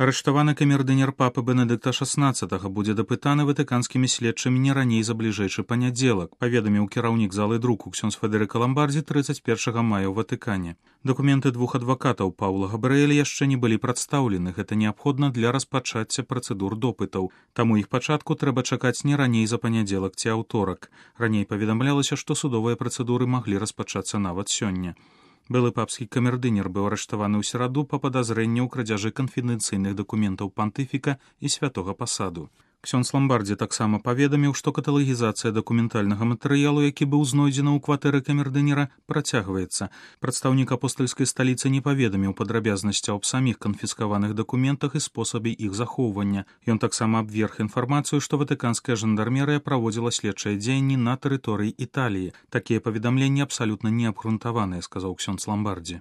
Арыштаваны камердынер папы Бенедыкта XVI будзе дапытаны ватыканскімі следчымі не раней за бліжэйшы панядзелак, паведаміў кіраўнік залы друку ксёндз Федэрыка Ламбардзі 31 мая ў Ватыкане. Дакументы двух адвакатаў Паўла Габрыэля яшчэ не былі прадстаўлены. Гэта неабходна для распачацця працэдур допытаў. Таму іх пачатку трэба чакаць не раней за панядзелак ці аўторак. Раней паведамлялася, што судовыя працэдуры маглі распачацца нават сёння. Былы папскі камердынер быў арыштаваны ў сераду па падазрэнні ў крадзяжы канфідэнцыйных дакументаў пантыфіка і святога пасаду. Ксёндз Ламбардзі таксама паведаміў, што каталагізацыя дакументальнага матэрыялу, які быў знойдзены ў кватэры камердынера, працягваецца. Прадстаўнік апостальскай сталіцы не паведаміў падрабязнасцяў аб саміх канфіскаваных дакументах і спосабе іх захоўвання. Ён таксама абверг інфармацыю, што ватыканская жандармерыя праводзіла следчыя дзеянні на тэрыторыі Італіі. Такія паведамленні абсалютна неабгрунтаваныя, сказаў ксёндз Ламбардзі.